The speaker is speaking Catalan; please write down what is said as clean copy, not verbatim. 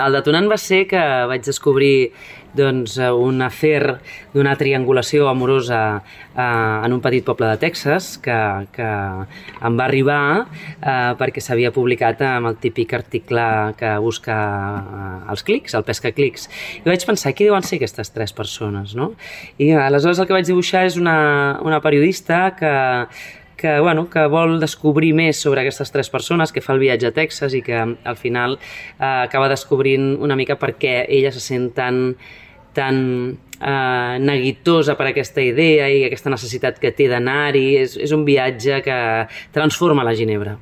El detonant va ser que vaig descobrir un afer d'una triangulació amorosa en un petit poble de Texas que em va arribar perquè s'havia publicat amb el típic article que busca els clics, el pesca clics. I vaig pensar, qui deuen ser aquestes tres persones, no? I aleshores el que vaig dibuixar és una periodista que vol descobrir més sobre aquestes tres persones, que fa el viatge a Texas i que al final acaba descobrint una mica per què ella se sent tan neguitosa per aquesta idea i aquesta necessitat que té d'anar-hi. És un viatge que transforma la Ginebra.